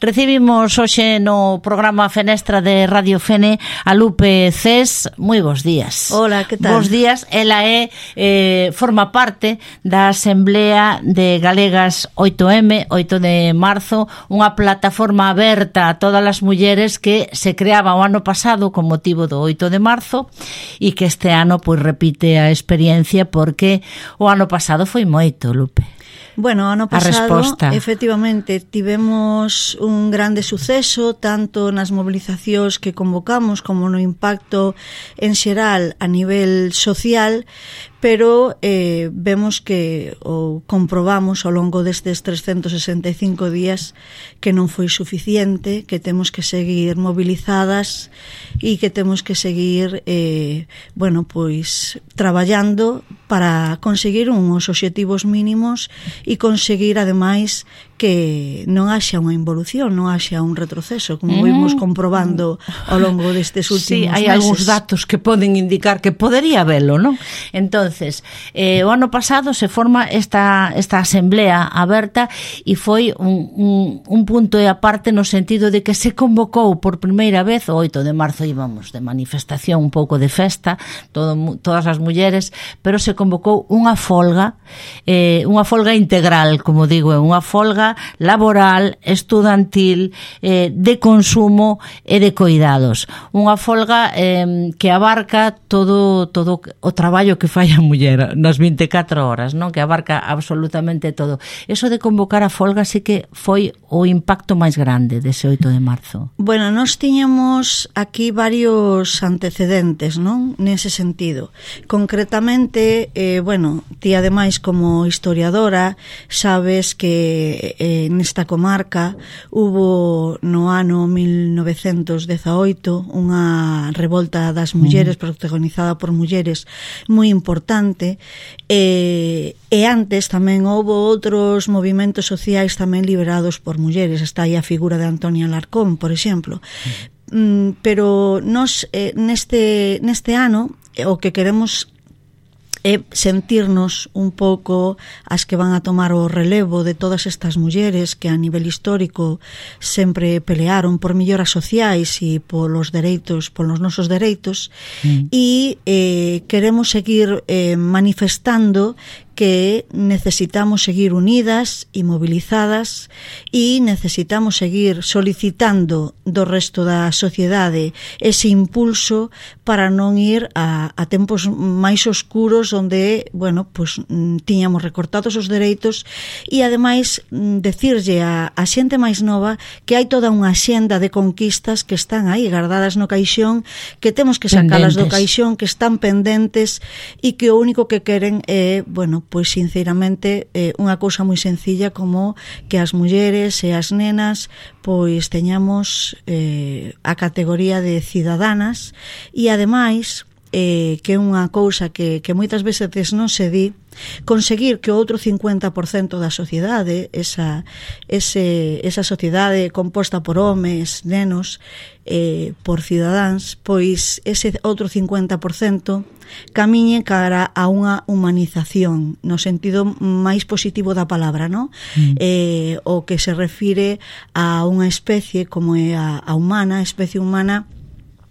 Recibimos hoxe no programa Fenestra de Radio Fene a Lupe Cés. Moi bons días. Hola, que tal? Bos días. Ela forma parte da Asamblea de Galegas 8M, 8 de marzo, unha plataforma aberta a todas as mulleres que se creaba o ano pasado con motivo do 8 de marzo e que este ano pois repite a experiencia porque o ano pasado foi moito, Lupe. Bueno, ano pasado, efectivamente, tivemos un grande suceso, tanto nas mobilizacións que convocamos como no impacto en xeral a nivel social, pero vemos que, ou comprobamos ao longo destes 365 días que non foi suficiente, que temos que seguir movilizadas e que temos que seguir traballando para conseguir uns obxectivos mínimos e conseguir, ademais, que non haxa unha involución, non haxa un retroceso, como vimos comprobando ao longo destes últimos meses. Sí, hai algúns datos que poden indicar que podería velo, non? Entonces, o ano pasado se forma esta asamblea aberta e foi un punto e aparte no sentido de que se convocou por primeira vez, o 8 de marzo íbamos de manifestación, un pouco de festa, todas as mulleres, pero se convocou unha folga integral, como digo, unha folga laboral, estudantil, de consumo e de coidados. Unha folga que abarca todo o traballo que fai a muller nas 24 horas, non? Que abarca absolutamente todo. Eso de convocar a folga sí que foi o impacto máis grande dese 8 de marzo. Bueno, nós tiñamos aquí varios antecedentes, non? Nese sentido. Concretamente, ti ademais como historiadora sabes que nesta comarca hubo no ano 1918 unha revolta das mulleres protagonizada por mulleres moi importante e antes tamén houve outros movimentos sociais tamén liderados por mulleres. Está aí a figura de Antonia Alarcón, por exemplo. Pero nós neste ano o que queremos é sentirnos un pouco as que van a tomar o relevo de todas estas mulleres que a nivel histórico sempre pelearon por melloras sociais e polos nosos dereitos e queremos seguir manifestando que necesitamos seguir unidas e movilizadas e necesitamos seguir solicitando do resto da sociedade ese impulso para non ir a tempos máis oscuros onde, tiñamos recortados os dereitos e ademais decirlle a xente máis nova que hai toda unha xenda de conquistas que están aí guardadas no caixón, que temos que sacalas do caixón, que están pendentes e que o único que queren é, pois sinceramente unha cousa moi sencilla como que as mulleres e as nenas pois teñamos a categoría de cidadanas e ademais que é unha cousa que moitas veces non se di, conseguir que o outro 50% da sociedade, esa sociedade composta por homes, nenos, por cidadáns, pois ese outro 50% camiñe cara a unha humanización no sentido máis positivo da palabra, non? O que se refire a unha especie como é a especie humana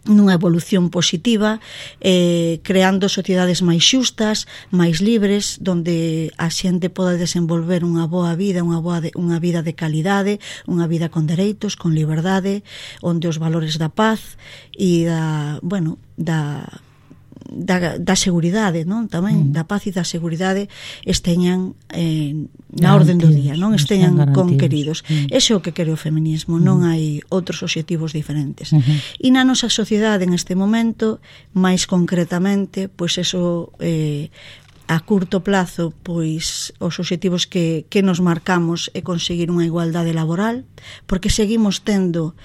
nunha evolución positiva, creando sociedades máis xustas, máis libres, donde a xente poda desenvolver unha boa vida, unha vida de calidade, unha vida con dereitos, con liberdade, onde os valores da paz e da seguridade, non? Tamén da paz e da seguridade esteñan na orden do día, non? Esteñan conqueridos. Ese é o que quere o feminismo, non hai outros obxectivos diferentes. E na nosa sociedade en este momento, máis concretamente, pois eso a curto plazo, pois os obxectivos que nos marcamos é conseguir unha igualdade laboral, porque seguimos tendo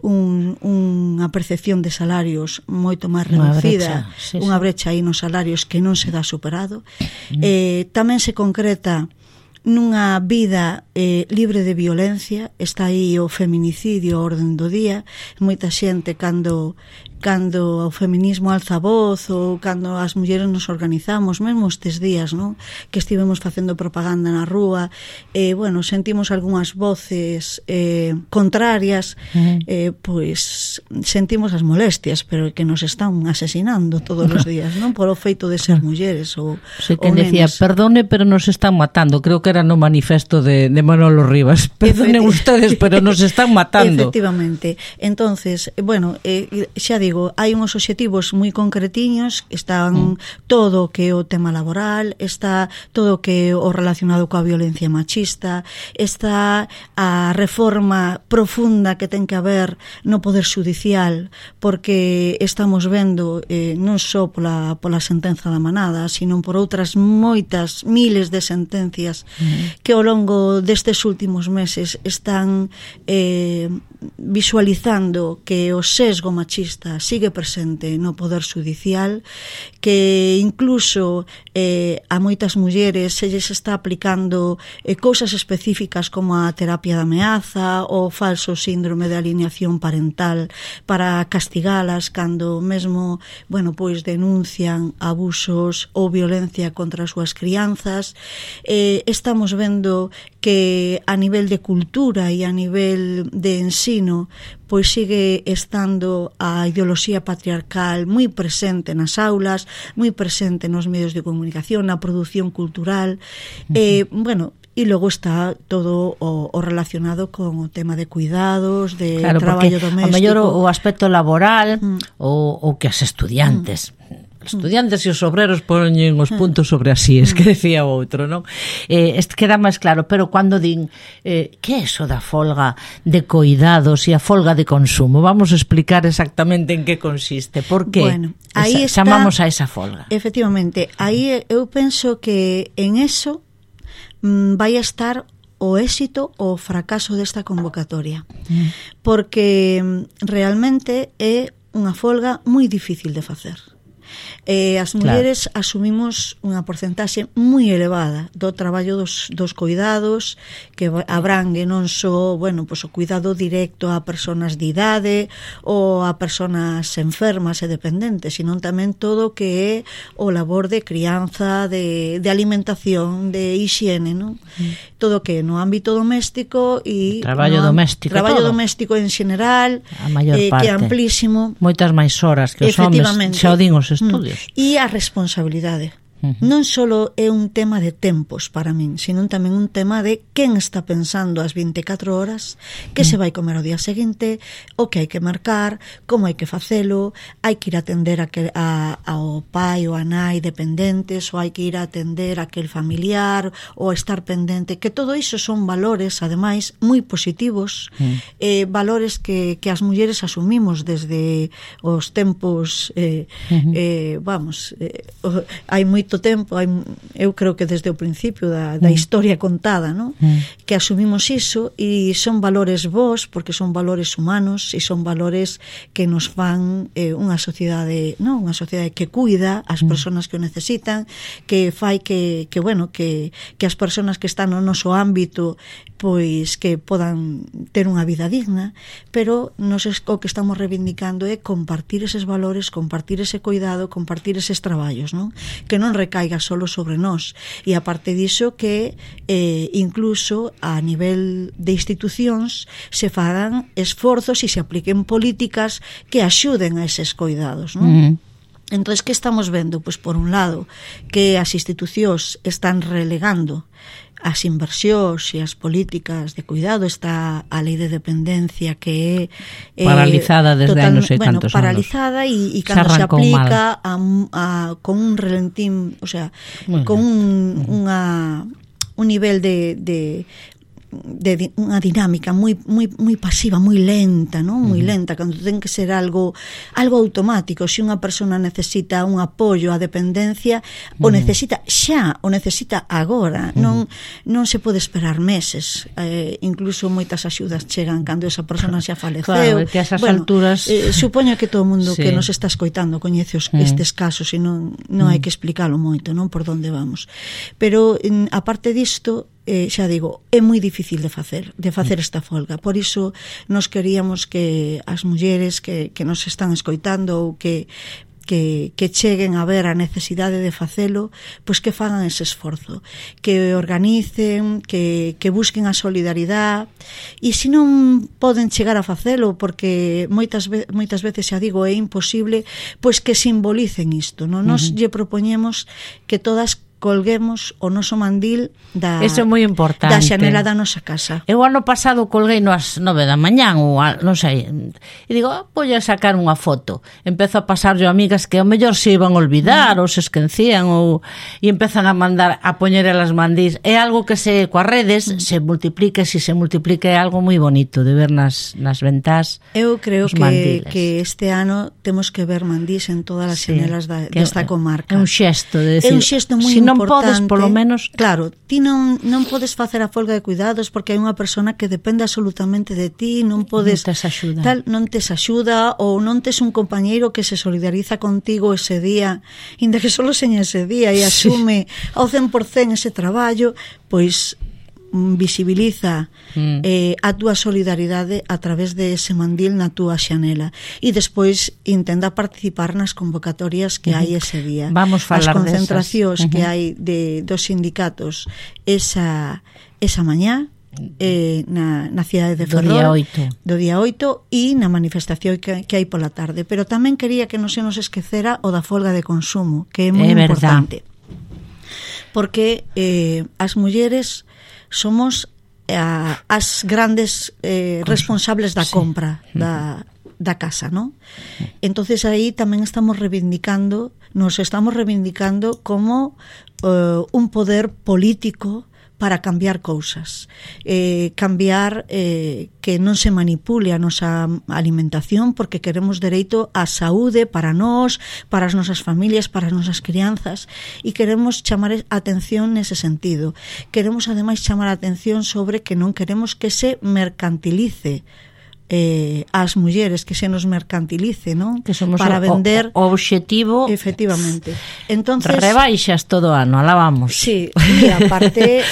unha percepción de salarios moito máis reducida, unha brecha aí nos salarios que non se dá superado. Tamén se concreta nunha vida libre de violencia. Está aí o feminicidio a orden do día. Moita xente cando o feminismo alza a voz, ou cando as mulleres nos organizamos, mesmo estes días, non? Que estivemos facendo propaganda na rúa, bueno, sentimos algunhas voces contrarias, pois sentimos as molestias, pero que nos están asesinando todos os días, non? Por o feito de ser mulleres ou quen decía, perdone, pero nos están matando. Creo que era no manifesto de Manolo Rivas. Perdonen ustedes, pero nos están matando. Efectivamente. Entonces, bueno, xa digo, hai uns obxectivos moi concretiños, están todo o que é o tema laboral, está todo o que é o relacionado coa violencia machista, está a reforma profunda que ten que haber no Poder Xudicial, porque estamos vendo non só pola sentenza da Manada, sino por outras moitas miles de sentencias que ao longo destes últimos meses están visualizando que o sesgo machista sigue presente no Poder Xudicial, que incluso a moitas mulleres se lles está aplicando cousas específicas como a terapia de ameaza ou falso síndrome de alineación parental para castigalas cando mesmo, bueno, pois denuncian abusos ou violencia contra as súas crianzas. Estamos vendo que a nivel de cultura e a nivel de ensino pois sigue estando a ideoloxía patriarcal moi presente nas aulas, moi presente nos medios de comunicación, na produción cultural, bueno, e logo está todo o relacionado con o tema de cuidados, de traballo doméstico. A mellor o aspecto laboral ou que as estudiantes estudiantes e os obreros poñen os puntos sobre as íes, que decía o outro, non? Queda máis claro, pero cando din que é eso da folga de coidados e a folga de consumo? Vamos a explicar exactamente en que consiste, por que chamamos a esa folga. Efectivamente, aí eu penso que en eso vai a estar o éxito ou o fracaso desta convocatoria, porque realmente é unha folga moi difícil de facer. As mulleres asumimos unha porcentaxe moi elevada do traballo dos cuidados, que abrangue non só, bueno, pois o cuidado directo a persoas de idade ou a persoas enfermas e dependentes, sino tamén todo o que é o labor de crianza, de alimentación, de hixiene, non? Todo o que é no ámbito doméstico e traballo doméstico en xeneral, que é amplísimo, moitas máis horas que os homes, xa o din os estudios. E a responsabilidade. Non só é un tema de tempos para min, sino tamén un tema de quen está pensando as 24 horas, que se vai comer ao día seguinte, o que hai que marcar, como hai que facelo, hai que ir a atender ao pai ou a nai dependentes, ou hai que ir a atender a aquel familiar, ou a estar pendente, que todo iso son valores, ademais, moi positivos, valores que as mulleres asumimos desde os tempos, hai moito tempo, eu creo que desde o principio da historia contada, ¿no? Que asumimos iso, e son valores bons porque son valores humanos e son valores que nos fan unha sociedade, ¿no? Unha sociedade que cuida as persoas que o necesitan, que fai que bueno, que as persoas que están no noso ámbito pois que podan ter unha vida digna, pero nos o que estamos reivindicando é compartir eses valores, compartir ese cuidado, compartir eses traballos, ¿no? Que non recaiga solo sobre nós, e aparte diso que incluso a nivel de institucións se fagan esforzos e se apliquen políticas que axuden a eses cuidados, non? Entón, que estamos vendo? Pois por un lado que as institucións están relegando as inversións e as políticas de cuidado, está a lei de dependencia que é paralizada desde anos e tantos anos. Paralizada e cando se aplica con un relentín, o sea, con un nivel de unha dinámica moi pasiva, moi lenta, non? Moi lenta, cando ten que ser algo automático. Se unha persona necesita un apoio á dependencia, o necesita xa, o necesita agora, non se pode esperar meses. Incluso moitas axudas chegan cando esa persona xa faleceu. Claro, que a esas alturas supoño que todo o mundo que nos está escoitando coñece estes casos, e non hai que explicalo moito, non, por onde vamos. Pero aparte disto, xa digo, é moi difícil de facer esta folga. Por iso nos queríamos que as mulleres que nos están escoitando ou que cheguen a ver a necesidade de facelo, pois que fagan ese esforzo, que organicen, que busquen a solidaridade, e se non poden chegar a facelo, porque moitas veces, xa digo, é imposible, pois que simbolicen isto, non? Nos lle propoñemos que todas colguemos o noso mandil Eso é moi importante. Da xanela da nosa casa. Eu ano pasado colguei ás 9 da mañán ou non sei, e digo, vou a sacar unha foto. Empezo a pasar yo amigas que ao mellor se iban a olvidar ou se esquecían e empezan a mandar a poñer elas mandís. É algo que coas redes se multiplica, se multiplica é algo moi bonito de ver nas ventás. Eu creo que este ano temos que ver mandís en todas as xanelas desta comarca. É un xesto de decir, é un xesto moi non podes, polo menos... Claro, ti non podes facer a folga de cuidados porque hai unha persona que depende absolutamente de ti, non podes... Non tes axuda ou non tes un compañeiro que se solidariza contigo ese día, inda que solo seña ese día e asume ao 100% ese traballo, pois visibiliza a túa solidaridade a través de ese mandil na túa xanela e despois intenta participar nas convocatorias que hai ese día. Vamos falar as concentracións que hai dos sindicatos esa mañá na cidade de Ferrol do día 8 e na manifestación que hai pola tarde, pero tamén quería que non se nos esquecera o da folga de consumo, que é moi importante, porque as mulleres somos as grandes responsables da compra da casa, ¿no? Entonces aí tamén nos estamos reivindicando como un poder político para cambiar cousas, cambiar que non se manipule a nosa alimentación, porque queremos dereito á saúde para nós, para as nosas familias, para as nosas crianzas, e queremos chamar a atención nese sentido. Queremos ademais chamar a atención sobre que non queremos que se mercantilice as mulleres, que se nos mercantilice, non? Que somos para vender o obxectivo. Efectivamente. Entonces, rebaixas todo ano, alabamos. Sí, e aparte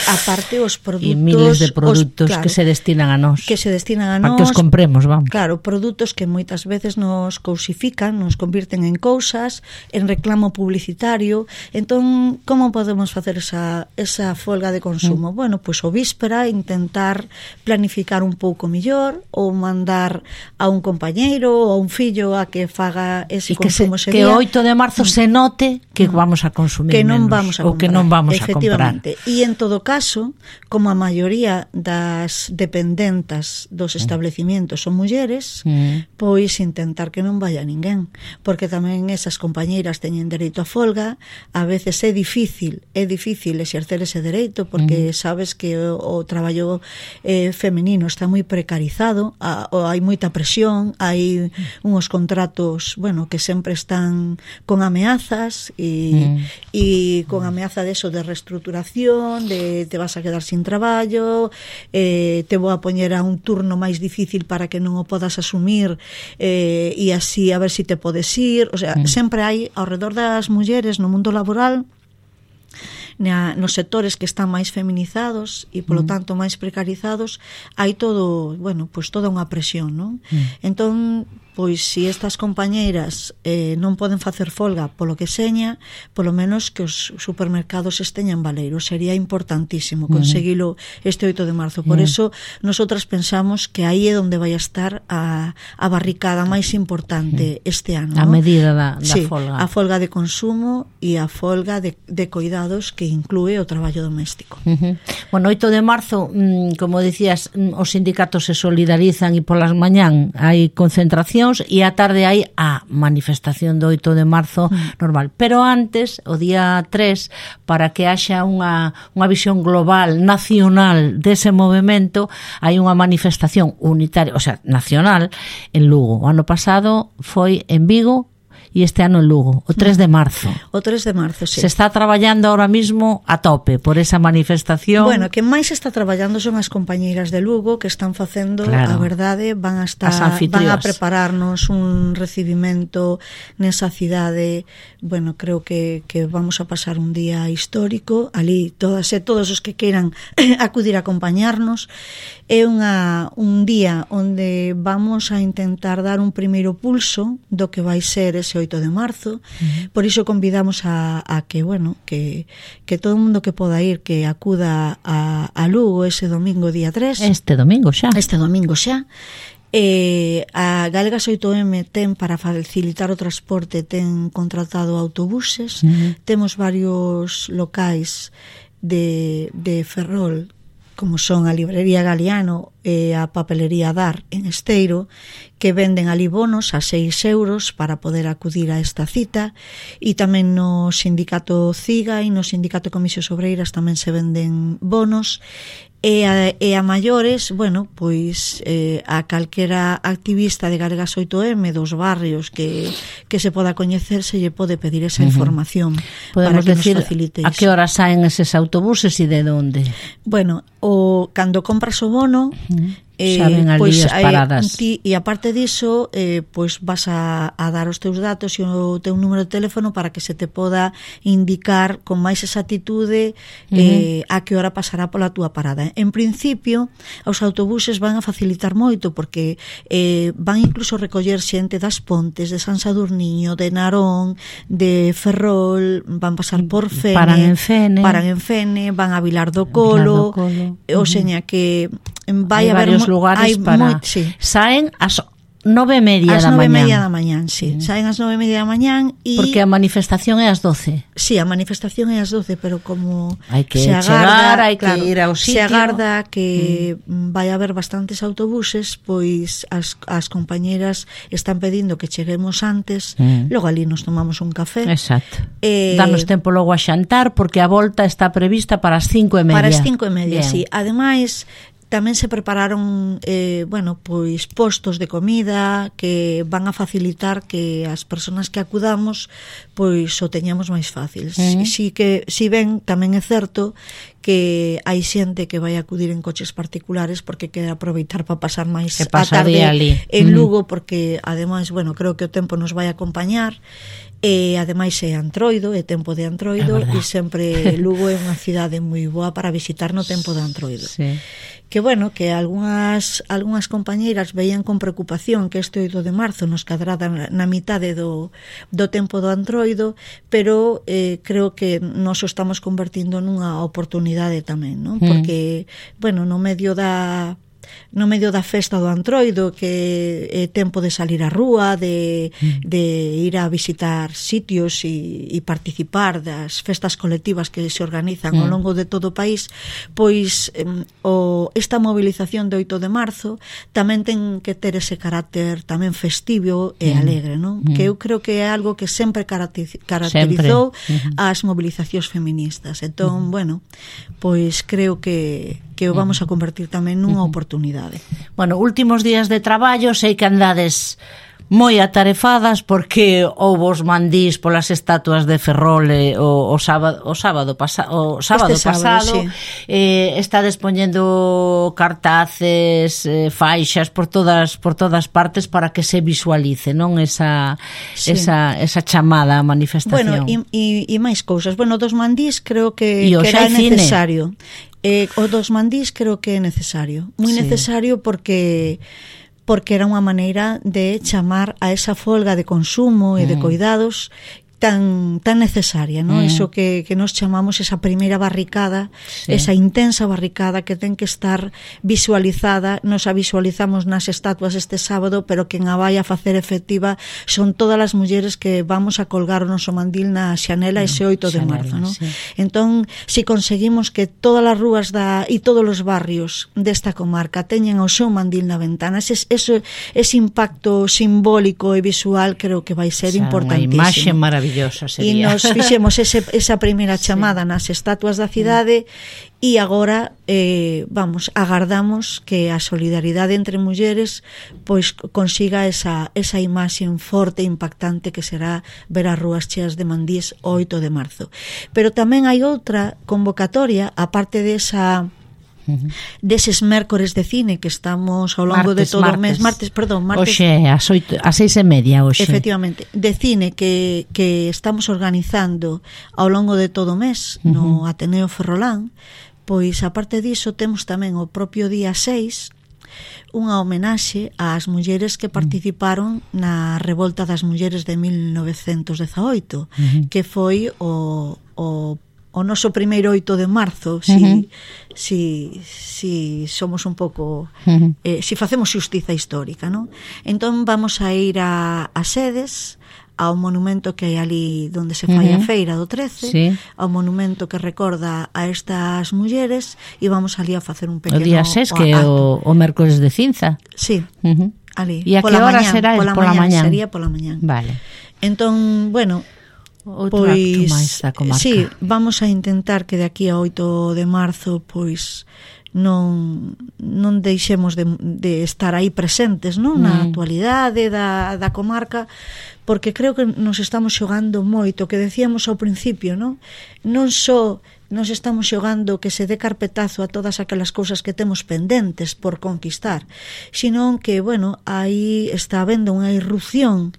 os produtos, e miles de produtos que se destinan a nós. Que se destinan a para nós. Que os compremos, vamos. Claro, produtos que moitas veces nos cousifican, nos convirten en cousas, en reclamo publicitario. Entón, como podemos facer esa folga de consumo? Bueno, pois o víspera intentar planificar un pouco mellor ou mandar a un compañeiro ou a un fillo a que faga ese consumo ese día. Que o 8 de marzo se note que vamos a consumir que non menos, vamos a comprar, ou que non vamos a comprar. E en todo caso, como a maioría das dependentas dos establecimientos son mulleres, pois intentar que non vaya ninguén, porque tamén esas compañeiras teñen dereito a folga. A veces é difícil exercer ese dereito porque sabes que o traballo femenino está moi precarizado, hai moita presión, hai uns contratos, bueno, que sempre están con ameazas e con ameaza de eso, de reestruturación, de te vas a quedar sin traballo, te vou a poñer a un turno máis difícil para que non o podas asumir, e así a ver si te podes ir. O sea, sempre hai ao redor das mulleres no mundo laboral, nos sectores que están máis feminizados e polo tanto máis precarizados, hai todo, bueno, pois toda unha presión, non? Entón, pois se estas compañeiras non poden facer folga polo que seña, polo menos que os supermercados esteñan baleiros. Sería importantísimo conseguilo este 8 de marzo. Por eso nosotras pensamos que aí é onde vai a estar a barricada máis importante este ano, a medida da folga. A folga de consumo e a folga de cuidados que inclúe o traballo doméstico. Bueno, 8 de marzo, como dicías, os sindicatos se solidarizan e polas mañán hai concentracións e a tarde hai a manifestación do 8 de marzo normal. Pero antes, o día 3, para que haxa unha visión global, nacional dese movimento, hai unha manifestación unitaria, o sea, nacional, en Lugo. O ano pasado foi en Vigo e este ano en Lugo, o 3 de marzo. O 3 de marzo, sí. Se está traballando ahora mismo a tope por esa manifestación. Bueno, que máis está traballando son as compañeiras de Lugo que están facendo, a verdade, van a prepararnos un recibimento nesa cidade. Bueno, creo que vamos a pasar un día histórico ali, todos os que queiran acudir a acompañarnos. É un día onde vamos a intentar dar un primeiro pulso do que vai ser ese 8 de marzo. Por iso convidamos a que, bueno, que todo o mundo que poda ir, que acuda a Lugo ese domingo día 3. Este domingo xa. A Galegas 8M ten, para facilitar o transporte, ten contratado autobuses. Temos varios locais de Ferrol, como son a Librería Galiano e a Papelería Dar en Esteiro, que venden ali bonos a 6 euros para poder acudir a esta cita, e tamén no Sindicato CIGA e no Sindicato Comisións Obreiras tamén se venden bonos. E a maiores, bueno, pois a calquera activista de Galegas 8M dos barrios que se poda coñecer, se lle pode pedir esa información. Podemos para que decir nos facilite a que hora saen eses autobuses e de onde? Bueno, cando compras o bono, saben ali as paradas. E aparte diso, pois vas a dar os teus datos e o teu número de teléfono para que se te poda indicar con máis exactitude a que hora pasará pola túa parada. En principio, os autobuses van a facilitar moito, porque van incluso recoller xente das Pontes, de San Sadurniño, de Narón, de Ferrol, van pasar por Fene, paran en Fene, van a Vilar do Colo, o seña que vai haber varios lugares para... Saen ás 9:30 da mañán. 9:30 da mañán, sí. Saen ás 9:30 da mañán e... Porque a manifestación é ás 12. Sí, a manifestación é ás 12, pero como hai que se agarda, hai que ir ao sitio. Se agarda que vai haber bastantes autobuses, pois as compañeras están pedindo que cheguemos antes, logo ali nos tomamos un café. Exacto. Danos tempo logo a xantar, porque a volta está prevista para as 5:30. Para as 5:30, sí. Ademais, tamén se prepararon pois postos de comida que van a facilitar que as persoas que acudamos pois o teñamos máis fácil. Si ben tamén é certo que hai xente que vai acudir en coches particulares porque quere aproveitar para pasar máis a tarde ali en Lugo, porque ademais, bueno, creo que o tempo nos vai acompañar. E ademais é Antroido, é tempo de Antroido, e sempre Lugo é unha cidade moi boa para visitar no tempo de Antroido. Sí. Que bueno, que algunhas compañeiras veían con preocupación que este 8 de marzo nos cadrada na mitade do tempo do Antroido, pero creo que nos o estamos convertindo nunha oportunidade tamén, non? Porque, bueno, no medio da festa do Antroido, que é tempo de salir á rúa, de ir a visitar sitios e participar das festas colectivas que se organizan ao longo de todo o país, pois esta movilización de 8 de marzo tamén ten que ter ese carácter tamén festivo e alegre, non? Que eu creo que é algo que sempre caracterizou as movilizacións feministas. Entón, bueno, pois creo que o vamos a convertir tamén nunha oportunidade. Bueno, últimos días de traballo, sei que andades moi atarefadas porque houve os mandís polas estatuas de Ferrol o sábado pasado, sí. Estades poñendo cartaces, faixas por todas partes para que se visualice, non, esa chamada a manifestación. Bueno, e máis cousas. Bueno, dos mandís creo que era necesario. O dos mandís creo que é necesario, moi necesario, porque era unha maneira de chamar a esa folga de consumo e de cuidados tan necesaria, ¿no? Eso que nos chamamos esa primeira barricada, esa intensa barricada que ten que estar visualizada. Nos a visualizamos nas estatuas este sábado, pero quen a vai a facer efectiva son todas as mulleres que vamos a colgar o noso mandil na xanela ese 8 de marzo, ¿no? Sí. Entón, si conseguimos que todas as rúas e todos os barrios desta comarca teñen o seu mandil na ventana, ese impacto simbólico e visual creo que vai ser importantísimo. Unha imaxe maravillosa. maravillosa sería. E nos fixemos esa primeira chamada nas estatuas da cidade e agora agardamos que a solidaridade entre mulleres pois consiga esa imaxe forte e impactante que será ver as rúas cheas de mandís o 8 de marzo. Pero tamén hai outra convocatoria, aparte deses mércores de cine que estamos ao longo de todo o mes, martes. Hoxe ás 6:30 hoxe. Efectivamente, de cine que estamos organizando ao longo de todo o mes no Ateneo Ferrolán. Pois aparte diso temos tamén o propio día 6 unha homenaxe ás mulleres que participaron na Revolta das Mulleres de 1918, que foi o noso primeiro 8 de marzo, si somos un pouco si facemos xustiza histórica, non? Entón vamos a ir a Sedes, ao monumento que hai ali onde se fai a feira do 13, ao monumento que recorda a estas mulleres, e vamos ali a facer un pequeno o día 6, que é o mércores de cinza. Sí, ali. E a que hora será? Pola mañán. Sería pola mañán. Vale. Entón, bueno, outro acto máis da comarca. Sí, vamos a intentar que de aquí a 8 de marzo pois non deixemos de estar aí presentes, non, na actualidade da comarca, porque creo que nos estamos xogando moito, que decíamos ao principio, non só nos estamos xogando que se dé carpetazo a todas aquelas cousas que temos pendentes por conquistar, sino que, bueno, aí está habendo unha irrupción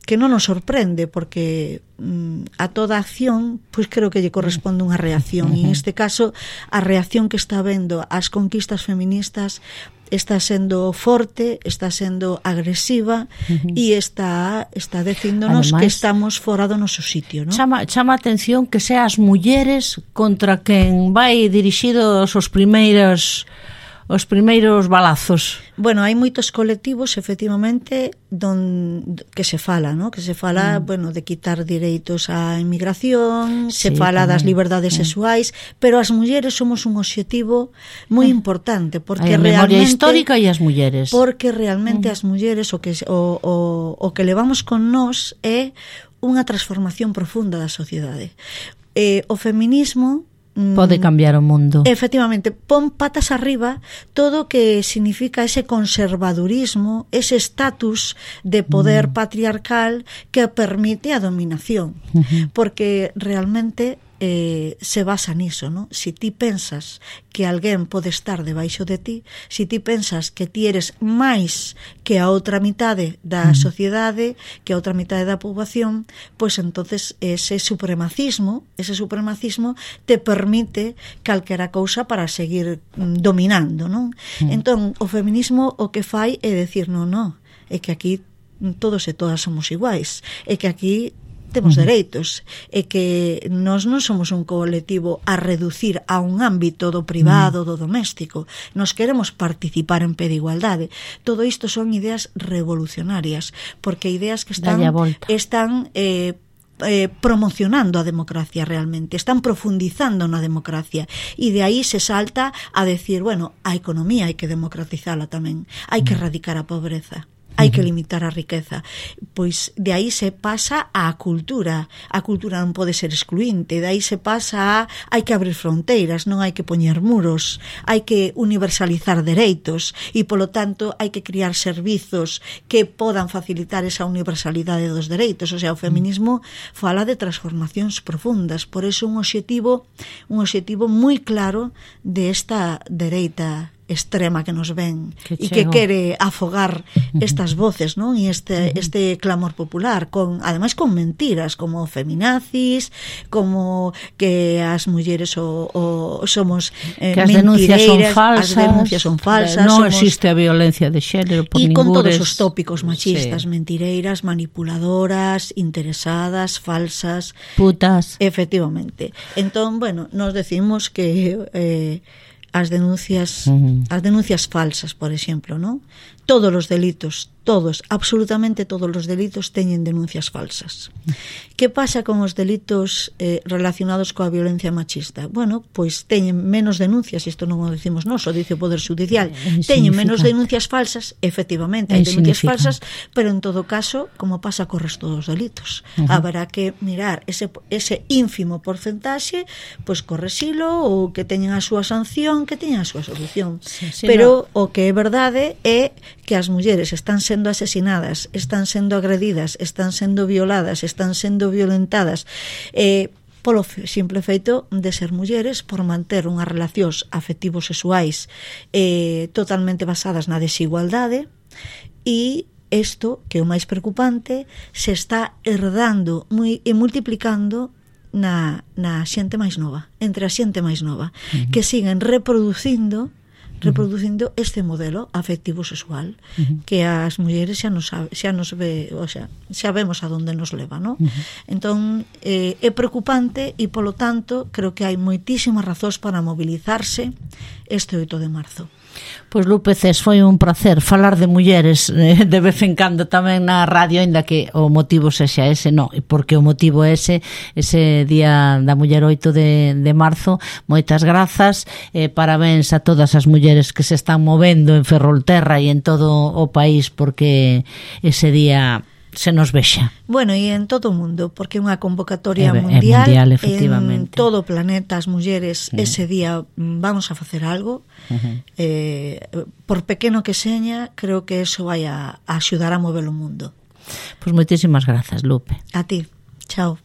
que non nos sorprende, porque a toda acción pois creo que lle corresponde unha reacción, e en este caso a reacción que está habendo ás conquistas feministas está sendo forte, está sendo agresiva, e está dicíndonos que estamos fora do noso sitio, non? Chama a atención que sea as mulleres contra quen vai dirixidos os primeiros balazos. Bueno, hai moitos colectivos, efectivamente, que se fala, ¿no? Que se fala, bueno, de quitar direitos á inmigración, se fala das liberdades sexuais, pero as mulleres somos un obxectivo moi importante, porque a memoria histórica e as mulleres. Porque realmente as mulleres o que levamos con nós é unha transformación profunda da sociedade. O feminismo pode cambiar o mundo. Efectivamente, pon patas arriba todo o que significa ese conservadurismo, ese estatus de poder patriarcal que permite a dominación, porque realmente se basa niso, ¿no? Si ti pensas que alguén pode estar debaixo de ti, si ti pensas que ti eres máis que a outra mitade da sociedade, que a outra mitade da poboación, pois entonces ese supremacismo te permite calquera cousa para seguir dominando, non? Entón, o feminismo o que fai é decir, non, é que aquí todos e todas somos iguais, é que aquí temos dereitos, e que nós non somos un colectivo a reducir a un ámbito do privado, do doméstico. Nos queremos participar en pé de igualdade. Todo isto son ideas revolucionarias, porque ideas que están promocionando a democracia realmente, están profundizando na democracia, e de aí se salta a decir, bueno, a economía hai que democratizala tamén, hai que erradicar a pobreza, hai que limitar a riqueza. Pois de aí se pasa á cultura. A cultura non pode ser excluinte. De aí se pasa a hai que abrir fronteiras, non hai que poñer muros, hai que universalizar dereitos, e polo tanto hai que criar servizos que podan facilitar esa universalidade dos dereitos. O sea, o feminismo fala de transformacións profundas. Por eso un obxectivo moi claro de esta dereita extrema que nos ven e que quere afogar estas voces, non? E este clamor popular, ademais con mentiras como feminazis, como que as mulleres somos que as denuncias son falsas, non existe a violencia de xénero por ningures, e con todos os tópicos machistas, mentireiras, manipuladoras, interesadas, falsas, putas. Efectivamente. Entón, bueno, nos decimos que as denuncias falsas, por exemplo, ¿no? todos os delitos, todos, absolutamente todos os delitos teñen denuncias falsas. Que pasa con os delitos relacionados coa violencia machista? Bueno, pois teñen menos denuncias, isto non o decimos nós, o dice o Poder Judicial, teñen menos denuncias falsas, efectivamente, hai denuncias falsas, pero en todo caso, como pasa co resto dos delitos, haberá que mirar ese ínfimo porcentaxe, pois corresilo, ou que teñen a súa sanción, que teñen a súa solución. Pero o que é verdade é que as mulleres están sendo asesinadas, están sendo agredidas, están sendo violadas, están sendo violentadas polo simple feito de ser mulleres, por manter unhas relacións afectivos sexuais totalmente basadas na desigualdade, e isto, que é o máis preocupante, se está herdando e multiplicando na xente máis nova, entre a xente máis nova, que siguen reproducindo este modelo afectivo sexual que as mulleres xa nos ve, o sea, xa vemos a donde nos leva, ¿no? Entón é preocupante, e polo tanto creo que hai moitísimas razóns para mobilizarse este 8 de marzo. Pois Lupe Cés, foi un placer falar de mulleres de vez en cando tamén na radio, aínda que o motivo sexa ese, non, porque o motivo é ese Día da Muller 8 de marzo. Moitas grazas, parabéns a todas as mulleres que se están movendo en Ferrolterra e en todo o país porque ese día se nos vexa. Bueno, e en todo o mundo, porque é unha convocatoria mundial, en todo o planeta, as mulleres ese día vamos a facer algo, por pequeno que seña, creo que eso vai a axudar a mover o mundo. Pois moitísimas grazas, Lupe. A ti, chao.